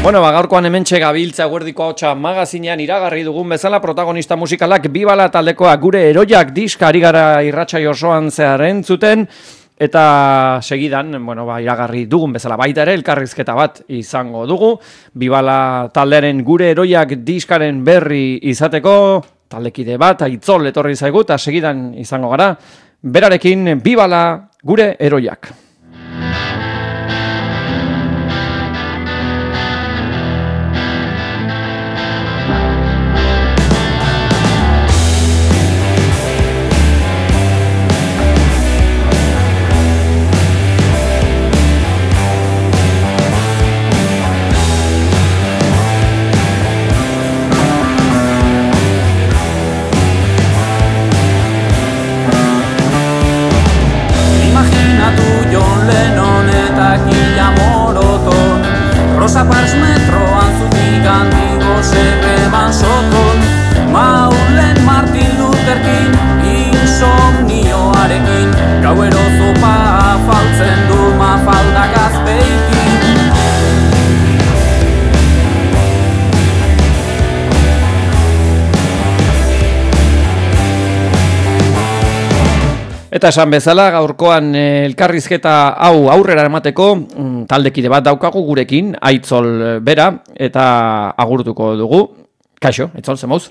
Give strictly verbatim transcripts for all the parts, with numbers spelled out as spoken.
Bueno, ba, gaurkoan hementxe gabiltza Eguerdiko Ahotsa magazinean iragarri dugun bezala protagonista musikalak Bibala taldekoa gure eroiak diska ari gara irratsai osoan zehar entzuten, eta segidan, bueno, ba, iragarri dugun bezala baita ere elkarrizketa bat izango dugu. Bibala taldearen gure eroiak diskaren berri izateko taldekide bat Aitzol etorri zaigu eta segidan izango gara berarekin. Bibala gure eroiak. Rosa Parks metroan zutik handigo zerreban soton, Maulen Martin Luther King insomnioarekin, gauero zopa afaltzen du mafaldak azpeikin. Eta esan bezala, gaurkoan elkarrizketa hau aurrera emateko taldekide bat daukagu gurekin, Aitzol bera, eta agurtuko dugu. Kaixo, Aitzol, zemouz?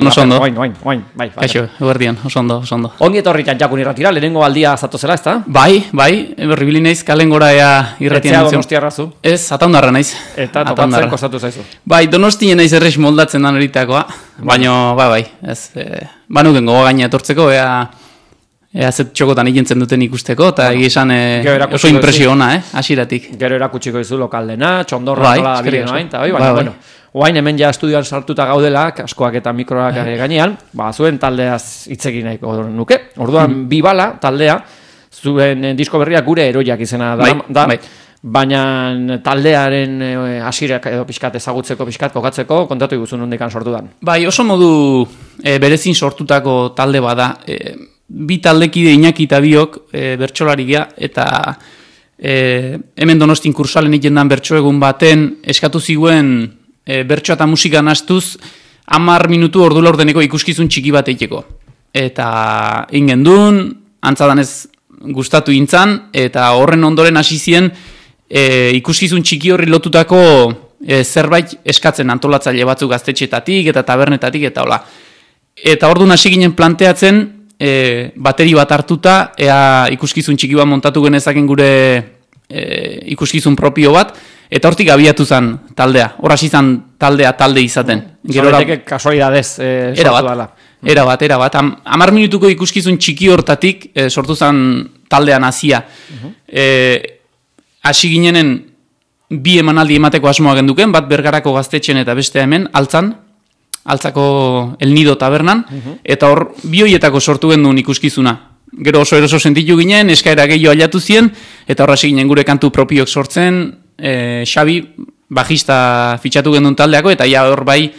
Oso ondo. Oain, oain, oain, bai. Kaixo, eguerdian, oso ondo, oso ondo. Ongi etorri Jakun irratira, lehenengo aldia zatozela, ezta? Bai, bai, berribili naiz kalengora ea irratian. Etzea Donostiarra zu? Ez, Ataundarra naiz. Eta topatzen kostatu zaizu? Bai, Donostien naiz errex moldatzen dan eritakoa, baina, bai, bai, ez, e, banuken gogo gaina etortzeko, ea... Ea zet txokotan ikentzen duten ikusteko, eta bueno, egizan e, oso impresio ona, eh, asiratik. Gero erakutsiko izu lokaldena, txondorra bai, nola dabilen oain, eta bai, baina, bai, bueno, oain hemen ja estudioan sartuta gaudela, askoak eta mikroak bai. Gainean, ba, zuen taldeaz hitzekin nahiko nuke. Orduan, mm. Bibala taldea, zuen disko berria gure eroiak izena da, bai, da bai. Baina taldearen hasirak edo pixkat ezagutzeko, pixkat kokatzeko, kontatu iguzun nondikan sortu dan. Bai, oso modu e, berezin sortutako talde bada, e, bi taldekide Iñaki eta biok e, bertsolarigia eta e, hemen Donostin kursalen ikendan bertso egun baten eskatu ziguen e, bertsoa eta musika nastuz hamar minutu ordu laurdeneko ikuskizun txiki bat eiteko. Eta ingen duen, antzadanez gustatu intzan, eta horren ondoren hasi zien e, ikuskizun txiki horri lotutako e, zerbait eskatzen antolatzaile batzuk gaztetxetatik eta tabernetatik eta hola. Eta orduan hasi ginen planteatzen E, bateri bat hartuta, ea ikuskizun txiki bat montatu genezaken gure e, ikuskizun propio bat, eta hortik abiatu zen taldea. Horraz izan taldea talde izaten. Zoreteke kasualidadez e, sortu dela. Era bat, era bat. Am, amar minutuko ikuskizun txiki hortatik e, sortu zen taldean hasia. Uh-huh. e, hasi ginenen bi emanaldi emateko asmoa genduken, bat Bergarako gaztetxen eta beste hemen, altzan, altzako El Nido tabernan, uh-huh. Eta hor bioietako sortu genduen ikuskizuna. Gero oso eroso sentitu ginen, eskaera gehiago aldatu zien, eta horra ginen gure kantu propiok sortzen, e, Xabi, bajista fitxatu genduen taldeako, eta ja hor bai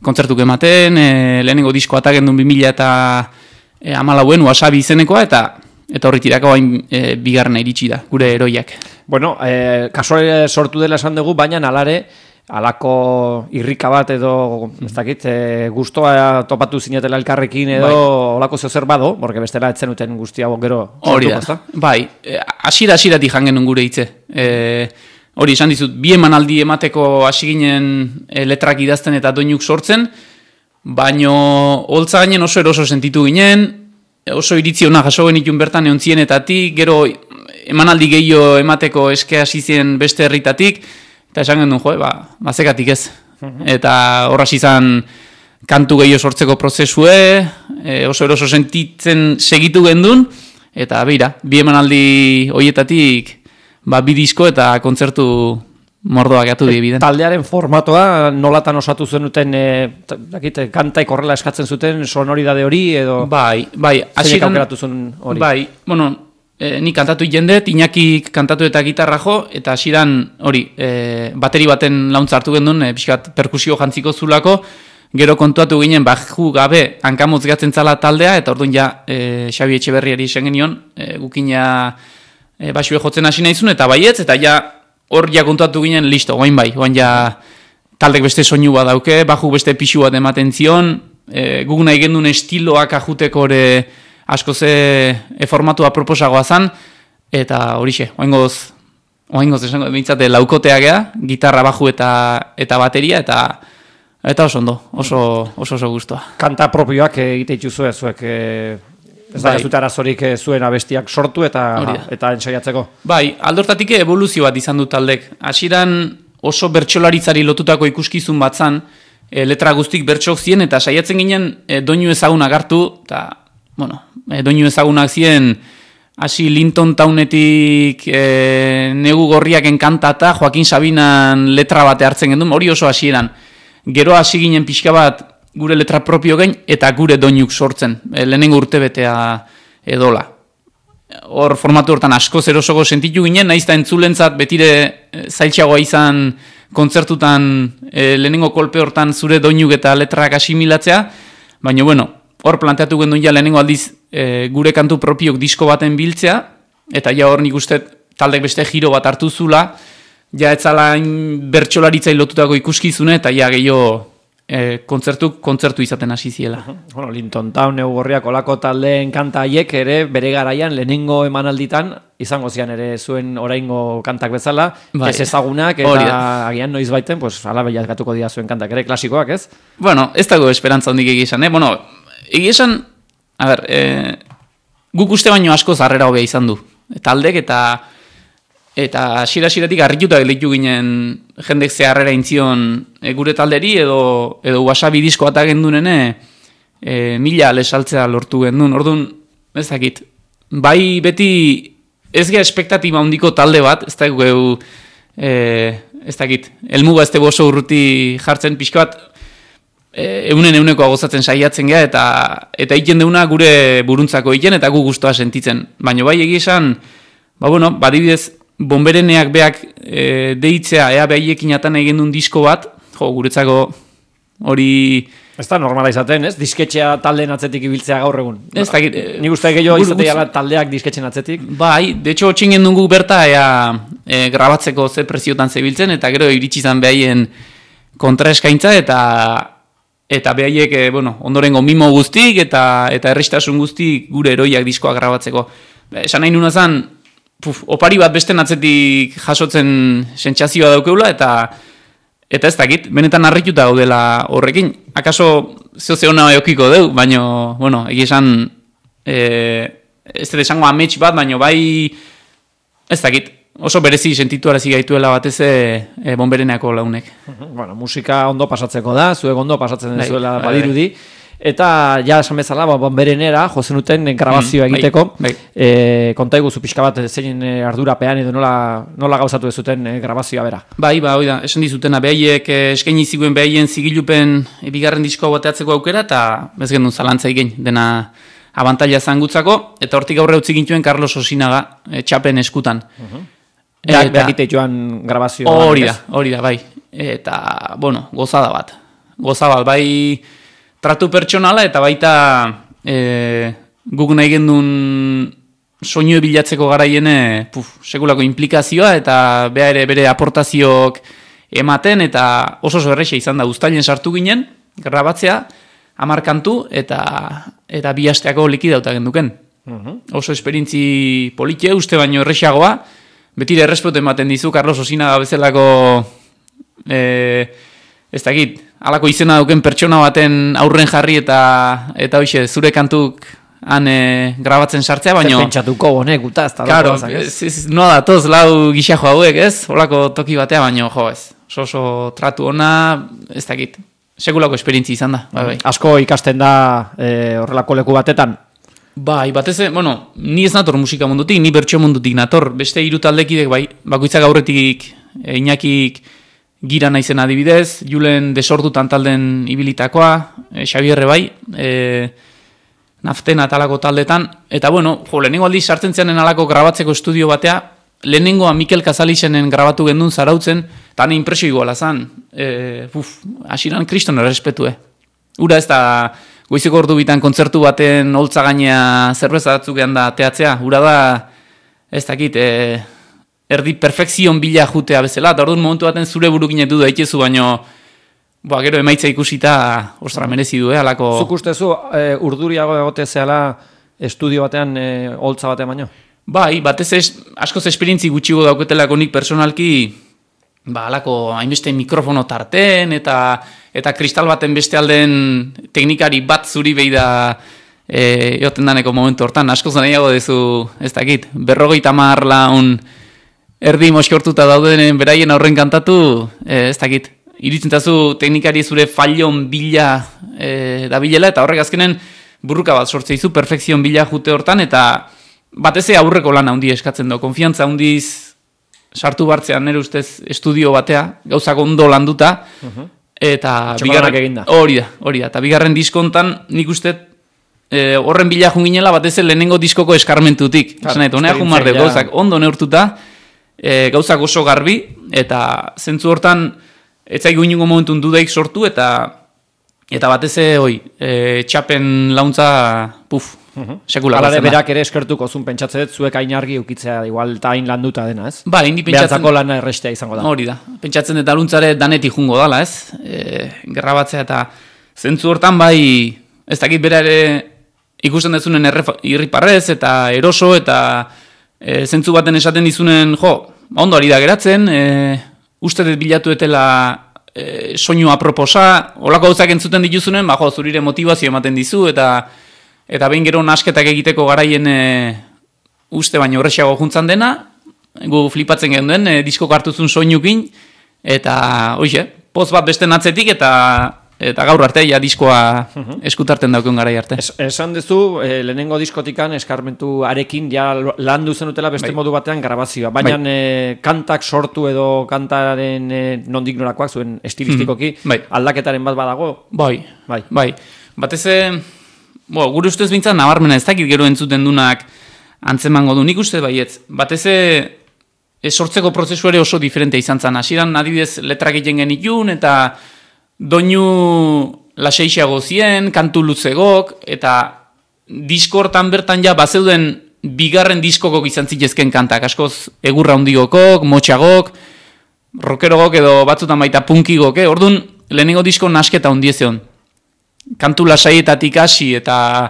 kontzertuk ematen, e, lehenengo disko ata genduen bi mila eta e, amalauen, Wasabi izenekoa, eta eta horri tirako hain e, bigarrena iritsi da, gure eroiak. Bueno, e, kasuale sortu dela esan dugu, baina alare, alako irrika bat edo, ez dakit, e, gustoa topatu zinetela elkarrekin edo bai. Olako zeozer bado, porque bestela etzen uten guztia gero hori da, bai, asira asiratik jangen gure hitze. E, hori esan dizut, bi emanaldi emateko hasi ginen e, letrak idazten eta doinuk sortzen, baino holtza gainen oso eroso sentitu ginen, oso iritzi hona jaso genitun bertan egon zienetatik, gero emanaldi gehiago emateko eske hasi zien beste herritatik, eta esan gendun, jo, ba, bazekatik ez. Uh-huh. Eta horraz izan kantu gehiago sortzeko prozesue, e, oso eroso sentitzen segitu gendun, eta beira, bi emanaldi hoietatik ba, bi disko eta kontzertu mordoak atu dibiden. Taldearen formatoa nolatan osatu zenuten, e, dakit, kantaik horrela eskatzen zuten sonoridade hori edo... Bai, bai. Zeinek aukeratu zuen hori? Bai, bueno... E, ni kantatu jendet, Iñaki kantatu eta gitarra jo, eta hasiran hori, e, bateri baten launtza hartu gendun, e, pixkat perkusio jantziko zulako, gero kontuatu ginen, baju gabe hankamotz gatzen zala taldea, eta orduan ja, e, Xabi Etxeberriari esan genion, e, gukina e, basue jotzen hasi nahizun, eta baietz, eta ja, hor ja kontatu ginen, listo, guain bai, guain ja taldek beste soinu bat dauke, baju beste pixu bat ematen zion, e, guk nahi gendun estiloak ajuteko ere asko ze e, formatua proposagoa zan, eta horixe, oaingoz, oaingoz esango bintzate laukotea gea, gitarra, baju eta eta bateria, eta eta oso ondo, oso oso, oso guztua. Kanta propioak egite dituzue zuek, e, ez da, bai. Ez dut arazorik zuen abestiak sortu eta eta ensaiatzeko. Bai, aldortatik evoluzio bat izan du taldek. Hasieran oso bertsolaritzari lotutako ikuskizun bat zan, e, letra guztik bertsok zien, eta saiatzen ginen e, doinu ezagunak hartu, eta, bueno, e, doinu ezagunak zien, hasi Linton Townetik e, negu gorriaken kantata, Joaquin Sabinan letra bate hartzen gendun, hori oso hasieran. Gero hasi ginen pixka bat gure letra propio gain, eta gure doinuk sortzen, e, lehenengo urtebetea edola. Hor formatu hortan asko zerosoko sentitu ginen, nahiz da entzulentzat betire zailtxagoa izan kontzertutan e, lehenengo kolpe hortan zure doinuk eta letrak asimilatzea, baina bueno, hor planteatu gendun ja lehenengo aldiz e, gure kantu propiok disko baten biltzea, eta ja hor nik uste taldek beste giro bat hartu zula, ja etzala bertsolaritzai lotutako ikuskizune, eta ja gehiago e, kontzertu, kontzertu izaten hasi ziela. Uh-huh. Bueno, Linton Town, Neu Gorriak olako taldeen kanta haiek ere bere garaian lehenengo emanalditan izango zian ere zuen oraingo kantak bezala, bai. Ez ezagunak eta agian noiz baiten, pues ala baiakatuko dira zuen kantak ere klasikoak, ez? Bueno, ez dago esperantza hondik egizan, eh? Bueno, egizan, a ber, eh, guk uste baino asko zarrera hobea izan du. Taldek eta Eta hasiera-hasieratik harrituta gelditu ginen jendek zeharrera intzion e, gure talderi edo edo wasabi disko ata gendunene e, mila lesaltzea lortu gendun. Orduan, ez dakit. Bai beti ez gea espektatiba handiko talde bat, ez da geu e, ez dakit. Elmuga ez tebo oso urruti jartzen pixka bat e, eunen eunekoa gozatzen saiatzen gea eta eta egiten deuna gure buruntzako egiten eta gu gustoa sentitzen. Baina bai egia esan, ba bueno, badibidez Bombereneak beak e, deitzea, ea behaiekin atan egin duen disko bat, jo, guretzako hori... Ez da normala izaten, ez? Disketxea taldeen atzetik ibiltzea gaur egun. Ez da... E, Nik uste gehiago izatea taldeak disketxen atzetik. Bai, de hecho, txingen dugu berta, ea e, grabatzeko ze preziotan zebiltzen, eta gero iritsi izan behaien kontraeskaintza, eta eta behaiek, e, bueno, ondorengo mimo guztik, eta eta errestasun guztik gure eroiak diskoa grabatzeko. Esan nahi nuna zan, Puf, opari bat besten atzetik jasotzen sentsazioa daukeula eta eta ez dakit, benetan harrituta gaudela horrekin. Akaso zeo ona eukiko deu, baina, bueno, egia esan e, ez dut esango amets bat, baina bai ez dakit, oso berezi sentitu arazi gaituela batez e, Bombereneako launek. Bueno, musika ondo pasatzeko da, zuek ondo pasatzen dezuela badirudi. Eta ja esan bezala, Bomberenera jozen duten grabazioa mm, egiteko, bai, bai. E, konta iguzu pixka bat zein ardurapean edo nola, nola gauzatu dezuten e, grabazioa bera. Bai, ba, oida, esan dizutena, behaiek e, eskaini ziguen behaien zigilupen e, bigarren diskoa bateatzeko aukera, eta bez gendun zalantza egin, dena abantaila zangutzako, eta hortik aurre utzi gintuen Carlos Osinaga e, txapen eskutan. Uh-huh. Eta behakite joan grabazioa. Hori da, hori da, bai. Eta, bueno, gozada bat. Gozada bat, bai... Tratu pertsonala eta baita e, guk nahi gendun soinu bilatzeko garaiene puf, sekulako implikazioa eta bea ere bere aportazioak ematen eta oso oso erreixa izan da uztailen sartu ginen, grabatzea, hamar kantu eta eta bi asteako likidauta genduken. Uh-huh. Oso esperientzi politie, uste baino errexagoa, betire errespetu ematen dizu Carlos Osinaga bezalako e, ez dakit, halako izena duken pertsona baten aurren jarri eta eta hoize zure kantuk han e, grabatzen sartzea, baino... Zer pentsatuko honek, guta, ez da. Claro, no da, toz lau gixajo hauek, ez? Holako toki batea, baino, jo, ez. Oso oso tratu ona, ez dakit. Sekulako esperientzi izan da, bai, bai. Asko ikasten da e, horrelako leku batetan? Bai, batez, bueno, ni ez nator musika mundutik, ni bertso mundutik nator. Beste hiru taldekidek, bai, bakoitzak aurretik, e, Iñakik, Gira naizen adibidez, Julen desordutan talden ibilitakoa, e, Xabierre bai, e, Naftena talako taldetan, eta bueno, jo, lehenengo aldiz sartzen zeanen alako grabatzeko estudio batea, lehenengoa Mikel Kazalixenen grabatu gendun zarautzen, eta hane impresio iguala zan, e, uf, asiran kriston errespetue. Ura ez da, goizeko ordu bitan kontzertu baten holtza gainea zerbeza batzuk da teatzea, ura da, ez dakit, e, erdi perfekzion bila jutea bezala, eta orduan momentu baten zure burukin edu daitezu, baino ba, gero emaitza ikusita, ostra, merezi du, eh, alako... Zuk ustezu, e, urduriago egote zehala estudio batean, e, holtza batean baino? Bai, batez ez, askoz esperientzi gutxigo dauketelako nik personalki, ba, alako hainbeste mikrofono tarten, eta eta kristal baten beste alden teknikari bat zuri behi da e, eoten daneko momentu hortan, askoz nahiago dezu, ez dakit, berrogeita hamar laun erdi moskortuta daudenen beraien aurren kantatu, e, ez dakit, iritzen tazu teknikari zure fallon bila e, da bilela, eta horrek azkenen burruka bat sortzeizu, perfekzion bila jute hortan, eta batez aurreko lan handi eskatzen du, konfiantza handiz sartu bartzean nire ustez estudio batea, gauzak ondo landuta, uh-huh. Eta bigarren hori da, hori da. Eta bigarren diskontan nik uste e, horren bila junginela batez lehenengo diskoko eskarmentutik. Esan nahi, honea jun marde, gauzak ondo neurtuta, e, gauzak oso garbi, eta zentzu hortan ez zaigu inungo momentun dudaik sortu, eta eta batez hoi, e, txapen launtza, puf, uh-huh. sekula. Alare berak ere eskertuko zun pentsatzen dut, zuek hain argi ukitzea, igual eta hain landuta dena, ez? Ba, indi pentsatzen... Behatzako lana errestea izango da. Hori da. Pentsatzen dut aluntzare danetik jungo dala, ez? E, gerrabatzea eta zentzu hortan bai, ez dakit bera ere ikusten dezunen irriparrez eta eroso eta e, zentzu baten esaten dizunen, jo, ondo ari da geratzen, e, uste dut bilatu etela e, soinu aproposa, olako gauzak entzuten dituzunen, ba, jo, zurire motivazio ematen dizu, eta eta behin gero nasketak egiteko garaien e, uste baino horrexago juntzan dena, gu flipatzen genuen, e, diskok hartuzun soinukin, eta, hoxe, poz bat beste atzetik, eta eta gaur arte, ja diskoa uh-huh. eskutarten daukun garai arte. Es, esan duzu, e, lehenengo diskotikan eskarmentu arekin, ja landu zenutela beste bai. Modu batean grabazioa, baina bai. e, kantak sortu edo kantaren e, nondik norakoak zuen estilistikoki, mm-hmm. bai. aldaketaren bat badago? Bai, bai, bai. Batez Bo, gure ustez bintzat nabarmena ez dakit gero entzuten dunak antzemango du. Nik uste baietz. Batez e, sortzeko prozesu ere oso diferentea izan zen. Hasieran adibidez letrak egiten genitun eta doinu laseixago zien, kantu luzegok, eta diskortan bertan ja bazeuden bigarren diskokok izan zitezken kantak. Askoz egurra hundigokok, motxagok, rockerogok edo batzutan baita punkigok. Eh? Orduan lehenengo disko nasketa hundiezeon. Kantu lasaietatik hasi eta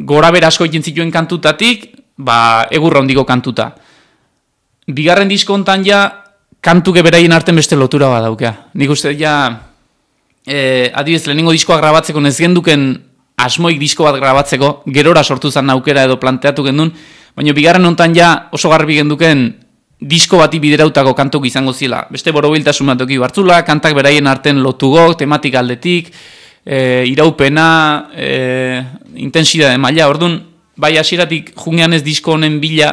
gora berasko egin zituen kantutatik, ba, egurra hondiko kantuta. Bigarren diskontan ja, kantuke beraien arten beste lotura bat daukea. Nik uste ja, e, adibidez, lehenengo diskoa grabatzeko ez genduken asmoik disko bat grabatzeko, gerora sortu zan aukera edo planteatu gendun, baina bigarren hontan ja oso garbi genduken disko bati biderautako kantuk izango zila. Beste borobiltasun bat duki bartzula, kantak beraien arten lotugok, tematik aldetik, E, iraupena, e, intensidade maila, orduan, bai hasieratik jungean ez disko honen bila,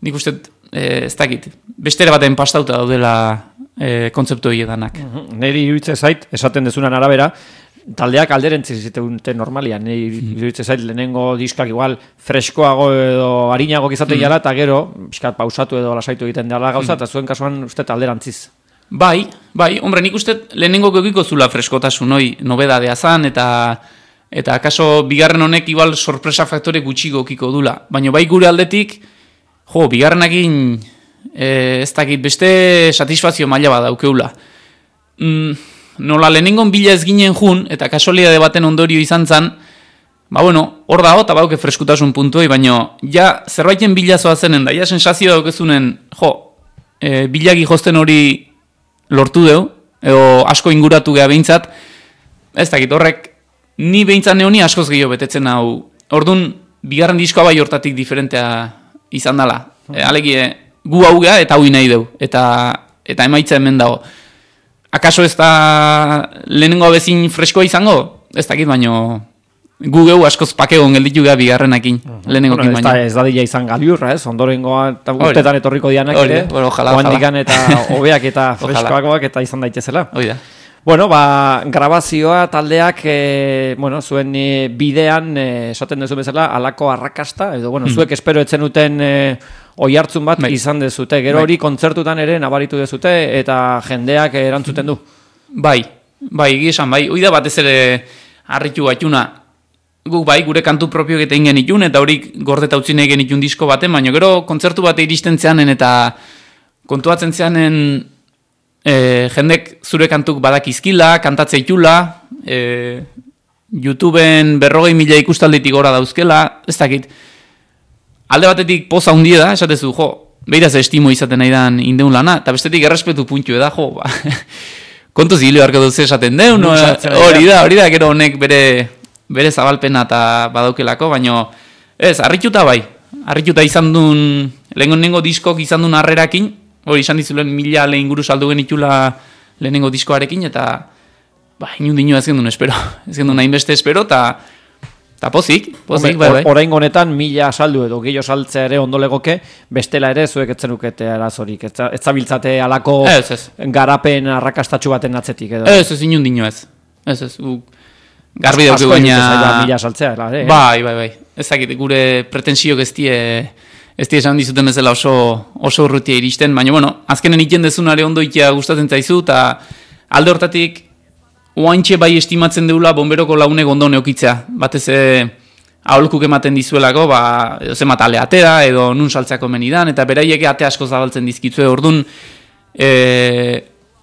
nik uste, e, ez dakit, bestera baten pastauta daudela e, kontzeptu edanak. Uh-huh. Neri iruitze zait, esaten dezunan arabera, taldeak alderentzi zituen normalian, neri iruitze zait, lehenengo diskak igual freskoago edo harinago izaten mm. jala, eta gero, piskat pausatu edo lasaitu egiten dela gauza, eta mm. zuen kasuan uste alderantziz. Bai, bai, hombre, nik uste lehenengo geukiko zula freskotasun hoi nobedadea zan, eta eta akaso bigarren honek igual sorpresa faktore gutxi gokiko dula. Baina bai gure aldetik, jo, bigarrenakin e, ez dakit beste satisfazio maila bat daukeula. Mm, nola lehenengon bila ez ginen jun, eta kasualidade baten ondorio izan zan, ba bueno, hor dago, eta bauke freskutasun puntuei, baina ja zerbaiten bilazoa zenen, da ja sensazio daukezunen, jo, e, bilagi josten hori lortu deu, edo asko inguratu geha behintzat, ez dakit, horrek, ni behintzat neoni askoz gehiago betetzen hau. Orduan, bigarren diskoa bai hortatik diferentea izan dela. E, Alegie, gu hau geha eta hau nahi deu, eta, eta emaitza hemen dago. Akaso ez da lehenengo abezin freskoa izango? Ez dakit, baino gu geu askoz pakegon gelditu geha bigarrenakin, uh-huh. lehenengo kin baino. Ez da dila izan gabiurra, ez? Ondorengoa eta urtetan etorriko dianak ere, bueno, ojalá, ojalá. Eta hobeak eta freskoagoak eta izan daitezela. Hoi da. Bueno, ba, grabazioa taldeak, e, bueno, zuen e, bidean, e, esaten duzu bezala, alako arrakasta, edo, bueno, mm. zuek espero etzen duten e, oihartzun bat bai. Izan dezute. Gero hori bai. Kontzertutan ere nabaritu dezute, eta jendeak erantzuten du. Bai, bai, gizan, bai. Oida batez ere harritu gaituna, guk bai, gure kantu propioak eta ingen itun, eta horik gordeta utzi nahi genitun disko baten, baina gero kontzertu bate iristen zeanen eta kontuatzen zeanen e, jendek zure kantuk badakizkila, kantatze itula, e, YouTubeen berrogei mila ikustalditik gora dauzkela, ez dakit, alde batetik poza hundie da, esatezu, jo, behiraz estimo izaten nahi dan indeun lana, eta bestetik errespetu puntu eda, jo, ba, kontu zilio harko duz esaten deun, no, hori da, hori da, gero honek bere, bere zabalpena eta badaukelako, baina ez, harrituta bai, harrituta izan duen, lehenengo diskok izan duen harrerakin, hori izan dizulen mila lehen inguru saldu genitula lehenengo diskoarekin, eta ba, inundino ez gendun espero, ez gendun hainbeste espero, eta eta pozik, pozik, bai, bai. Orain honetan mila saldu edo gehiago saltzea ere ondo legoke, bestela ere zuek etzenukete arazorik, ez zabiltzate alako ez, ez. garapen arrakastatxu baten atzetik edo. Ez, ez inundino ez, ez, ez, u, garbi dauke baina... mila saltzea, eh? Bai, bai, bai, ez dakit, gure pretensiok ez die, ez die esan dizuten bezala oso, oso urrutia iristen, baina, bueno, azkenen iten dezunare ondo itea gustatzen zaizu, eta alde hortatik, oaintxe bai estimatzen deula bomberoko launek ondo neokitzea. Batez e, aholkuk ematen dizuelako, ba, edo zemat ale atera, edo nun saltzeako menidan, eta beraiek ate asko zabaltzen dizkitzue. Orduan, e,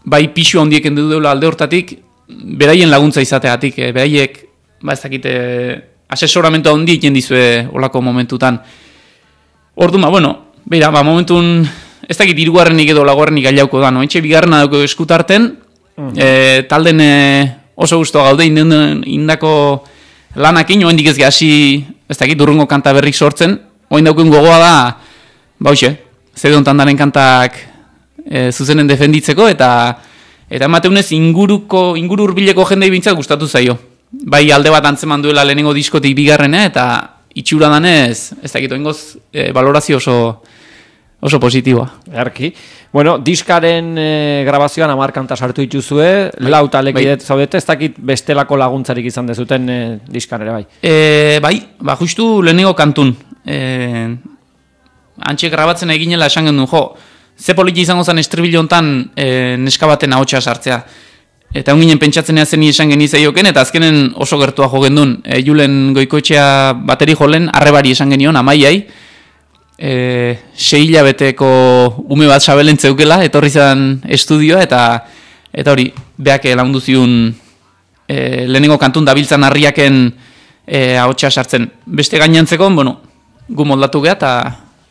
bai pixu handiek endu deula alde hortatik, beraien laguntza izateatik, e, beraiek, ba ez dakite, asesoramento handi egiten dizue olako momentutan. Orduan, ba, bueno, beira, ba, momentun, ez dakit hirugarrenik edo laugarrenik gailauko da, no? Etxe bigarrena dauko eskutarten, Mm. E, talden e, oso gustoa gaude indako lanakin, oendik ez gasi, ez dakit, durrungo kanta berrik sortzen, oen daukun gogoa da, ba hoxe, zede hontan daren kantak e, zuzenen defenditzeko, eta eta emateunez inguruko, inguru urbileko jendei bintzat gustatu zaio. Bai alde bat antzeman duela lehenengo diskotik bigarrena, eta itxura danez, ez dakit, oengoz e, valorazio oso, oso positiboa. Erki. Bueno, diskaren e, grabazioan hamar kanta sartu dituzue, bai, lau talekidet bai. Zaudete, ez dakit bestelako laguntzarik izan dezuten e, diskan ere bai. E, bai, ba justu lehenengo kantun. E, antxe grabatzen eginela esan gendun, jo, ze politi izango zen estribil hontan e, neska baten ahotsa sartzea. Eta onginen pentsatzen zen esan genizaioken, eta azkenen oso gertua jo gendun. E, Julen Goikoetxea bateri jolen, arrebari esan genion, amaiai, E, sei hilabeteko ume bat sabelen zeukela, etorri zen estudioa, eta eta hori, beak lagundu ziun e, lehenengo kantun dabiltzan harriaken e, ahotsa sartzen. Beste gainantzeko, bueno, gu moldatu geha, eta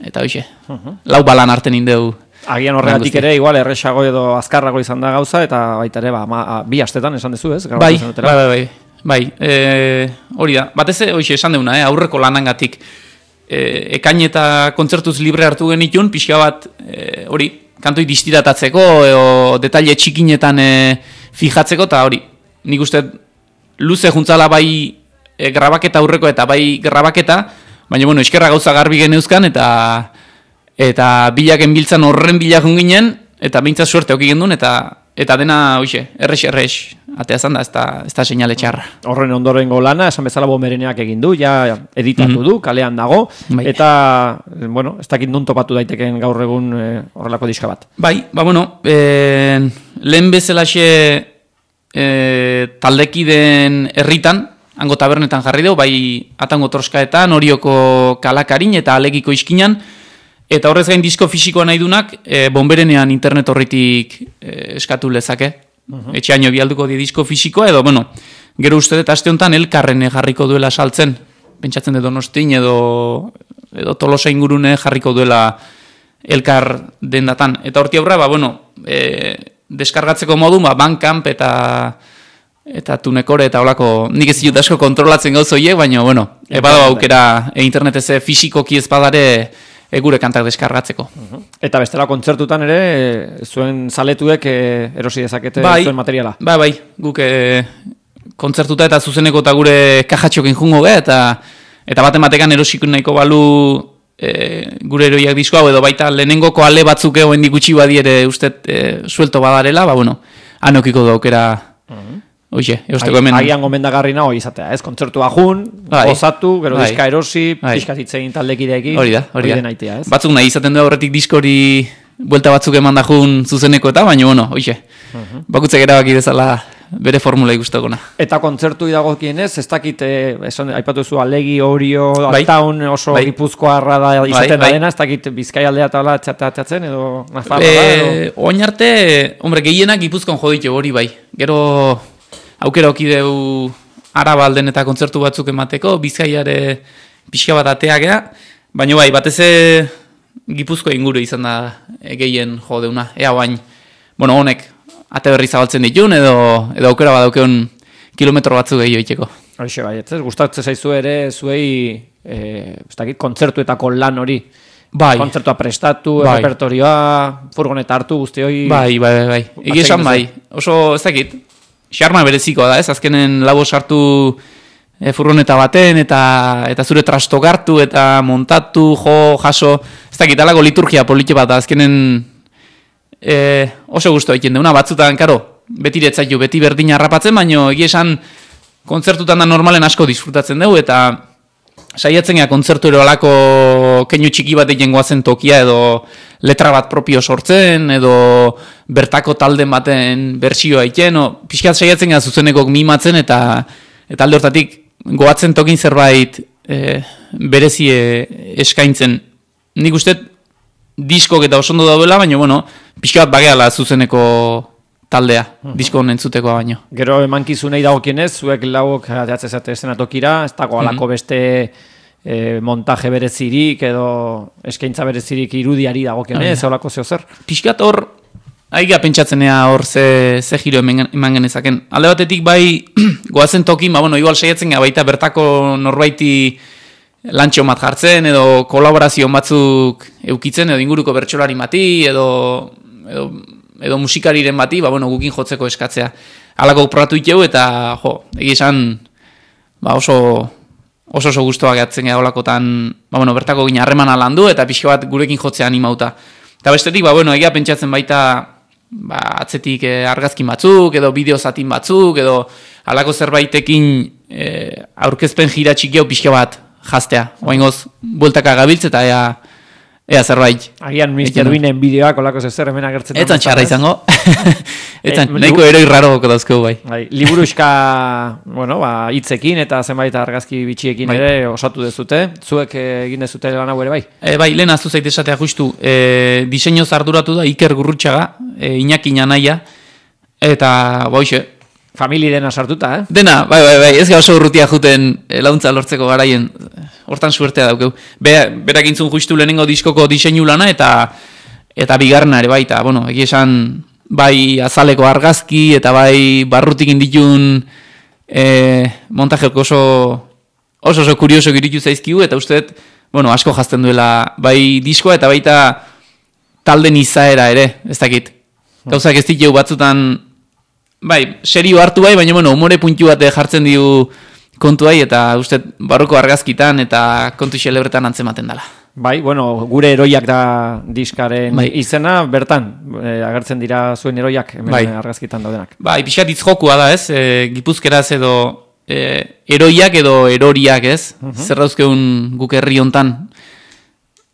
eta hoxe, uh-huh. lau balan arten indeu. Agian horregatik ere, igual, erresago edo azkarrago izan da gauza, eta baita ere, ba, ma, bi astetan esan dezu, ez? Bai, bai, bai, bai, bai. E, hori da, batez hoxe esan deuna, eh, aurreko lanangatik. E, ekain eta kontzertuz libre hartu genitun, pixka bat e, hori, kantoi distiratatzeko edo detaile txikinetan e, fijatzeko, eta hori, nik uste luze juntzala bai e, grabaketa aurreko eta bai grabaketa, baina bueno, eskerra gauza garbi geneuzkan, eta eta bilaken biltzan horren bilakun ginen, eta behintzat suerte oki gendun, eta eta dena, hoxe, errex-errex ateazan da, ez da, ez da seinale txarra. Horren ondorengo lana, esan bezala Bomereneak egin du, ja editatu mm-hmm. du, kalean dago, bai. Eta, bueno, ez dakit nun topatu daiteken gaur egun e, horrelako diska bat. Bai, ba, bueno, e, lehen bezalaxe e, taldekiden herritan, hango tabernetan jarri dugu, bai atango troskaetan, Orioko kalakarin eta alegiko iskinan, eta horrez gain disko fisikoa nahi dunak, e, Bomberenean internet horritik e, eskatu lezake. Uh-huh. Etxeaino bialduko di disko fisikoa, edo, bueno, gero uste dut aste honetan elkarren jarriko duela saltzen, pentsatzen edo Donostin edo, edo Tolosa ingurune jarriko duela elkar dendatan. Eta horti aurra, ba, bueno, e, deskargatzeko modu, ba, Bandcamp eta eta Tunekore eta holako, nik ez dut asko kontrolatzen gauz horiek, baina, bueno, ebado aukera e, internetez fisikoki ezpadare e, gure kantak deskargatzeko. Uh-huh. Eta bestela kontzertutan ere, e, zuen zaletuek e, erosi dezakete bai, zuen materiala. Bai, bai, guk e, kontzertuta eta zuzeneko eta gure kajatxokin jungo ge, eta eta baten batekan erosiko nahiko balu e, gure eroiak disko hau, edo baita lehenengoko ale batzuk egoen dikutsi badiere uste e, suelto badarela, ba, bueno, anokiko da aukera. Uh-huh. Oixe, eusteko hemen... Agian gomendagarri nago izatea, ez? Kontzertua jun, bai, gozatu, gero bai, diska erosi, bai, diskatitzein taldekideekin, hori da, hori da. Naitea, ez? Batzuk nahi izaten du horretik diskori buelta batzuk eman da jun zuzeneko eta, baina, bueno, oixe, uh-huh. bakutzek erabaki dezala bere formula ikustokona. Eta kontzertu dagokienez, ez dakit, eh, esan, aipatu zu Alegi, Orio, Bai. Altaun oso Bai. gipuzkoarra da izaten Bai, bai. da dena, ez dakit Bizkai aldea eta hola txatatzen edo Nafarra E, da, edo... oin arte, hombre, gehienak Gipuzkoan jo ditu hori bai. Gero aukera okideu Araba alden eta kontzertu batzuk emateko, Bizkaiare pixka bat ateagea, baina bai, batez ere Gipuzko inguru izan da e, gehien jo deuna. Ea bain, bueno, honek ate berri zabaltzen ditun edo edo aukera badaukeun kilometro batzu gehiago iteko. Hoxe bai, ez gustatzen zaizu ere zuei eh, ez dakit, kontzertuetako lan hori. Bai. Kontzertua prestatu, Bai. repertorioa, furgoneta hartu guzti hori. Bai, bai, bai, bai. Egi esan Atsegin bai. Oso, ez dakit, xarma berezikoa da, ez? Azkenen labo sartu e, furgoneta baten, eta eta zure trastogartu, eta montatu, jo, jaso, ez dakit, alako liturgia politxe bat da, azkenen e, oso gustu egiten deuna, batzutan, karo, beti retzaitu, beti berdin harrapatzen, baino egi esan kontzertutan da normalen asko disfrutatzen dugu, eta saiatzen gea kontzertu ero alako keinu txiki bat egin goazen tokia edo letra bat propio sortzen edo bertako talden baten bertsioa egiten, o, pixkat saiatzen gea zuzenekok mimatzen eta eta alde hortatik goatzen tokin zerbait e, berezie eskaintzen. Nik uste diskok eta osondo dauela, baina bueno, pixkat bageala zuzeneko taldea, uh-huh. disko entzutekoa baino. Gero emankizunei dagokienez, zuek lauok ateatzezate estenatokira, ez dago alako beste e, montaje berezirik edo eskaintza berezirik irudiari dagokienez, uh-huh. olako zeo zer? Piskat hor, aiga pentsatzenea hor ze, ze giro eman, eman genezaken. Alde batetik bai, goazen tokin, ba, bueno, igual saiatzen gara baita bertako norbaiti lantxo bat jartzen, edo kolaborazio batzuk eukitzen, edo inguruko bertsolari mati, edo... edo edo musikariren bati, ba, bueno, gukin jotzeko eskatzea. Halako probatu iteu eta, jo, egi esan, ba, oso oso oso guztua gehatzen gara holakotan, ba, bueno, bertako gina harremana landu eta pixka bat gurekin jotzea animauta. Eta bestetik, ba, bueno, egia pentsatzen baita, ba, atzetik eh, argazkin batzuk, edo bideo zatin batzuk, edo halako zerbaitekin eh, aurkezpen jira txikio pixka bat jaztea. Oaingoz, bueltaka gabiltz eta ea, Ea zerbait. Agian mister Duinen bideoak olako zezer hemen agertzen. Etzan txarra izango. Etzan, e, nahiko eroi raroko dauzkeu bai. Bai, liburuxka, bueno, ba, hitzekin eta zenbait argazki bitxiekin bai. ere osatu dezute. Zuek egin dezute lan hau ere bai? E, bai, lehen aztu zaite esatea justu. E, diseñoz arduratu da Iker Gurrutxaga, e, Iñaki Nanaia, eta boixe. Famili dena sartuta, eh? Dena, bai, bai, bai, ez ga oso urrutia juten launtza lortzeko garaien, hortan suertea daukeu. Be, berak intzun justu lehenengo diskoko diseinu lana eta eta bigarrena ere baita, bueno, egi esan bai azaleko argazki eta bai barrutik inditun e, montajeko oso oso oso kurioso giritu zaizkigu eta usteet, bueno, asko jazten duela bai diskoa eta baita talden izaera ere, ez dakit. Gauzak ez ditu batzutan bai, serio hartu bai, baina bueno, umore puntu bat jartzen diu kontuai eta uste barruko argazkitan eta kontu xelebretan antzematen dela. Bai, bueno, gure eroiak da diskaren bai. izena, bertan, e, agertzen dira zuen eroiak hemen bai. argazkitan daudenak. Bai, pixat itzjokua da, ez? E, gipuzkeraz edo e, eroiak edo eroriak, ez? Uh-huh. Zer dauzkeun guk herri hontan.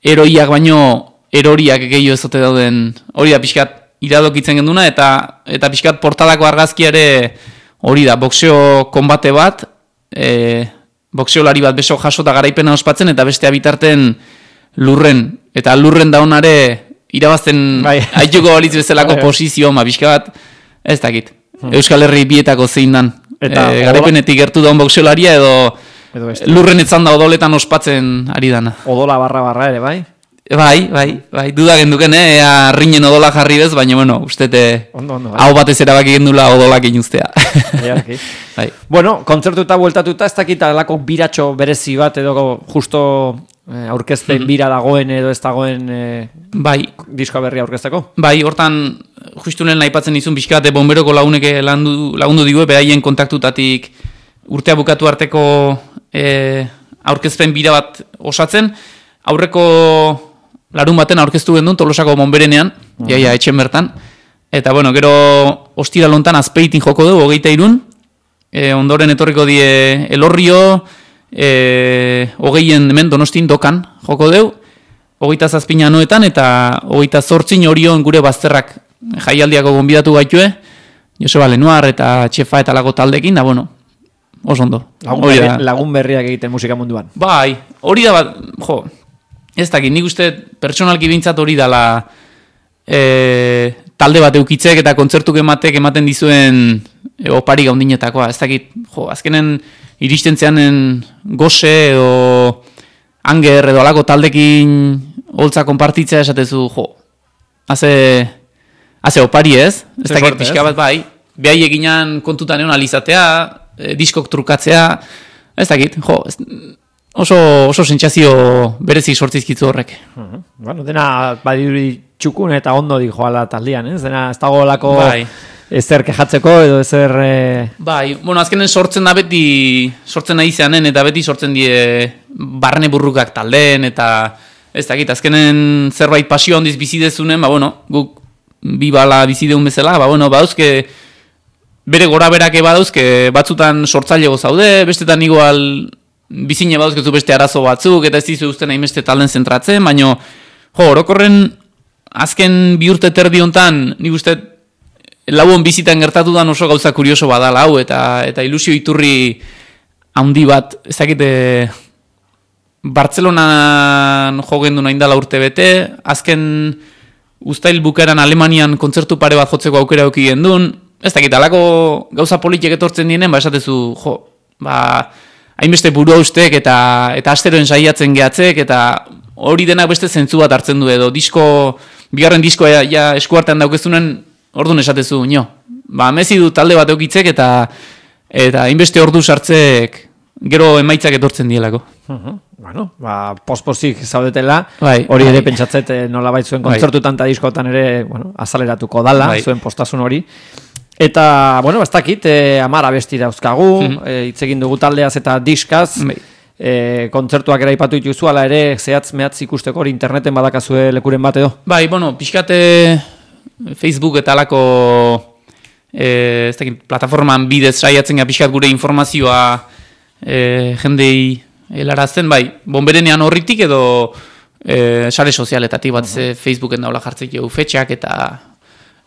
Eroiak baino eroriak gehiago ezote dauden, hori da pixkat iradokitzen genduna, eta eta pixkat portadako argazkiare hori da, boxeo konbate bat, e, boxeolari bat beso jaso eta garaipena ospatzen, eta bestea bitarten lurren, eta lurren daunare irabazten bai. Aituko balitz bezalako bai. Posizio, ma pixka bat, ez dakit, hmm. Euskal Herri bietako zein dan, eta e, garaipenetik gertu daun boxeolaria edo, edo lurren etzan da odoletan ospatzen ari dana. Odola barra barra ere, bai? Bai, bai, bai, duda genduken, eh, ea rinen odola jarri bez, baina, bueno, ustete, ondo, ondo, bai. Hau batez erabaki gendula odolak inuztea. Ja, okay. Bai. Bueno, kontzertuta bueltatuta, ez dakit alako biratxo berezi bat, edo justo eh, aurkezpen bira dagoen edo ez dagoen eh, bai. Diskoa berria aurkezteko? Bai, hortan, justu lehen aipatzen izun pixkate bomberoko laguneke lagundu, lagundu digue, beraien kontaktutatik urtea bukatu arteko eh, aurkezpen bira bat osatzen, aurreko larun baten aurkeztu gendun Tolosako monberenean, uh-huh. jaia etxen bertan, eta bueno, gero ostira lontan azpeitin joko dugu, hogeita irun, e, ondoren etorriko die Elorrio, e, hogeien hemen Donostin dokan joko dugu, hogeita zazpina noetan, eta hogeita zortzin Orion gure bazterrak jaialdiako gonbidatu gaitue, Joseba Lenoir eta Txefa eta lago taldekin, da bueno, oso ondo. Lagun, berri, lagun berriak egiten musika munduan. Bai, hori da bat, jo, ez dakit, nik uste pertsonalki bintzat hori dala e, talde bat eukitzek eta kontzertuk ematek ematen dizuen e, opari gaundinetakoa, ez dakit, jo, azkenen iristen zeanen gose edo anger edo alako taldekin holtza konpartitzea esatezu, jo, haze, haze opari ez, ez dakit, pixka bat bai, behai eginan kontutan egon alizatea, e, diskok trukatzea, ez dakit, jo, ez, oso, oso sentsazio berezik sortzizkitzu horrek. Uh-huh. Bueno, dena badiri txukun eta ondo di joala taldean, ez? Dena ez dago lako bai. Ezer kejatzeko edo ezer... E... Bai, bueno, azkenen sortzen da beti, sortzen nahi zeanen eta beti sortzen die barne burrukak taldeen eta ez dakit, azkenen zerbait pasio handiz bizidezunen, ba, bueno, guk bi bala bizideun bezala, ba, bueno, badauzke bere gora berake badauzke batzutan sortzailego zaude, bestetan igual bizine badauzkezu beste arazo batzuk eta ez dizu usten hainbeste talden zentratzen, baino, jo, orokorren azken bi urte terdi hontan, nik uste lauon bizitan gertatu dan oso gauza kurioso badala hau, eta eta ilusio iturri handi bat, ez dakite, Bartzelonan jogendu nahi dala urte bete, azken uztail bukaeran Alemanian kontzertu pare bat jotzeko aukera auki gendun, ez dakit, alako gauza politiek etortzen dienen, ba esatezu, jo, ba, hainbeste burua ustek eta, eta asteroen saiatzen gehatzek, eta hori denak beste zentzu bat hartzen du edo, disko, bigarren diskoa ja, ja eskuartean daukezunen, orduan esatezu, nio, ba, mezi du talde bat eukitzek eta eta hainbeste ordu sartzek gero emaitzak etortzen dielako. Uh-huh. Bueno, ba, pospozik zaudetela, bai, hori bai. Ere pentsatzet nola bait zuen kontzertutan eta diskotan ere, bueno, azaleratuko dala, bai. Zuen postasun hori. Eta, bueno, ez dakit, eh, amara besti dauzkagu, uh-huh. eh, hitz egin dugu taldeaz eta diskaz, bai. eh, kontzertuak ere aipatu dituzu, ala ere, zehatz mehatz ikusteko hori interneten badakazue lekuren bat edo? Bai, bueno, pixkate Facebook eta alako e, ez dakit, plataforman bidez saiatzen ga pixkat gure informazioa e, jendei helarazten, bai, bonberenean horritik edo e, sare sozialetatik bat uh-huh. Facebooken daula jartzek jau fetxak eta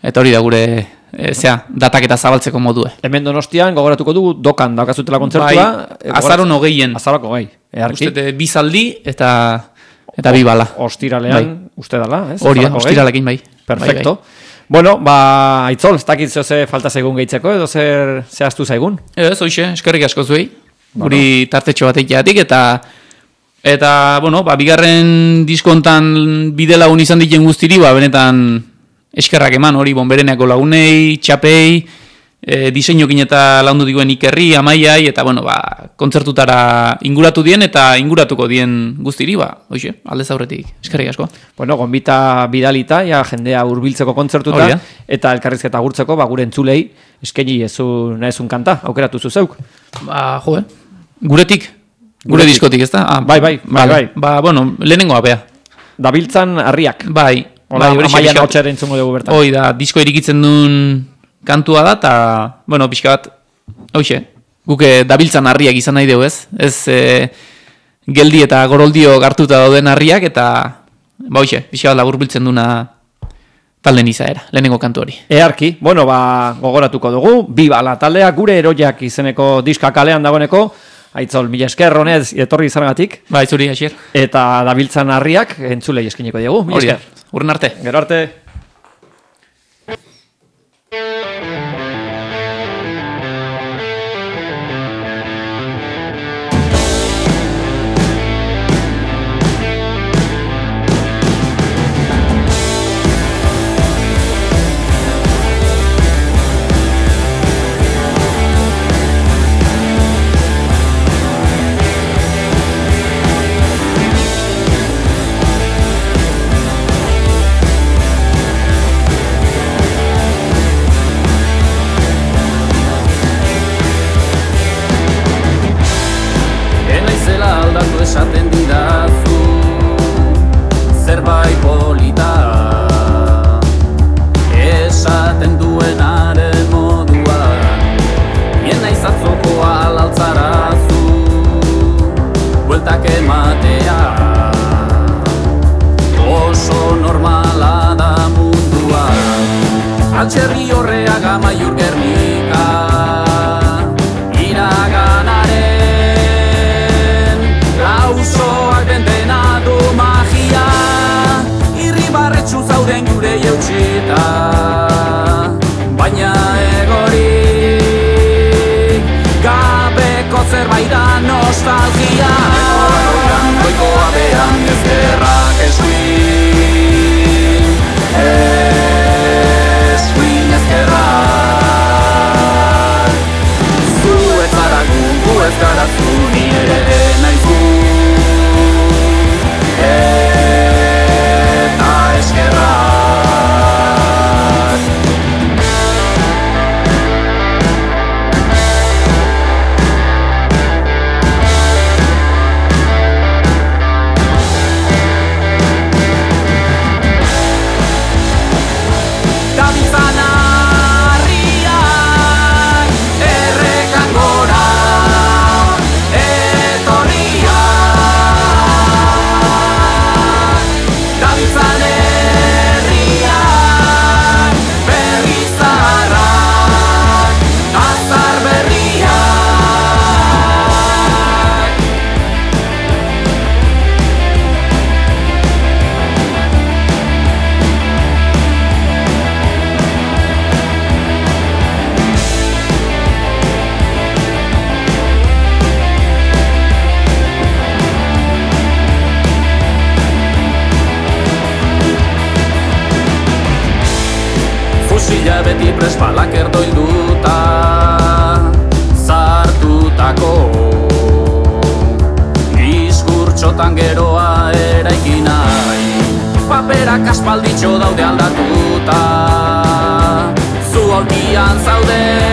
eta hori da gure e, zea, datak eta zabaltzeko modue. Hemen Donostian gogoratuko dugu dokan daukazutela kontzertua. Bai, azaron hogeien. Azaroko gai, eharki. Uste, bizaldi eta eta bi bala. Ostiralean, bai. Uste dala, ez? Hori, ostiralekin bai. Perfecto. Bai, bai. Bueno, ba, Aitzol, ez dakit ze falta zaigun gehitzeko, edo zer zehaztu zaigun? Ez, hoxe, eskerrik asko zuei, guri bueno. Tartetxo batek jatik, eta, eta, bueno, ba, bigarren diskontan bide lagun izan diken guztiri, ba, benetan eskerrak eman, hori, bonbereneako lagunei, txapei, e, diseinukin eta laundu diguen Ikerri, Amaiai, eta, bueno, ba, kontzertutara inguratu dien, eta inguratuko dien guztiri, ba, hoxe, aldez aurretik, eskerrik asko. Bueno, gonbita bidalita, ja, jendea hurbiltzeko kontzertuta, eta elkarrizketa gurtzeko, ba, gure entzulei, eskeni ezun, ezun kanta, aukeratu zuzeuk. Ba, jo, eh? Guretik, gure Guretik. Diskotik, ez da? Ah, bai, bai, bai, bai. Ba, bueno, lehenengoa, bea. Dabiltzan harriak. Bai. Ola, bai, Amaian hotxaren zungo dugu bertan. Hoi da, disko irikitzen duen kantua da, eta, bueno, pixka bat, hoxe, guke dabiltzan harriak izan nahi dugu, ez? Ez e, geldi eta goroldio gartuta dauden harriak, eta, ba, hoxe, pixka bat laburbiltzen duna talden izaera, lehenengo kantu hori. Earki, bueno, ba, gogoratuko dugu, bi bala taldea, gure eroiak izeneko diska kalean dagoeneko, Aitzol, mila esker, honez, etorri izanagatik. Ba, itzuri, asier. Eta dabiltzan harriak, entzulei eskineko diegu, mila esker. Urren arte. Gero arte. Esaten didazu zerbait polita, esaten duenaren moduan, bien naizatzokoa alaltzarazu, bueltak ematea, oso normala da munduan. Altxerri Horreaga Maiur Gernika iraganaren lausoak dentena du magia irribarretsu zauden gure jautxita baina egorik gabeko zerbait da nostalgia goikoa behan ezkerrak eskuin eskuin ezkerrak zu ez zara gu, gu ez gara zu ni ere naiz gu eta eskerrak beti prespalak erdoilduta zartutako diskurtsotan geroa eraiki nahi paperak aspalditxo daude aldatuta zu aulkian zaude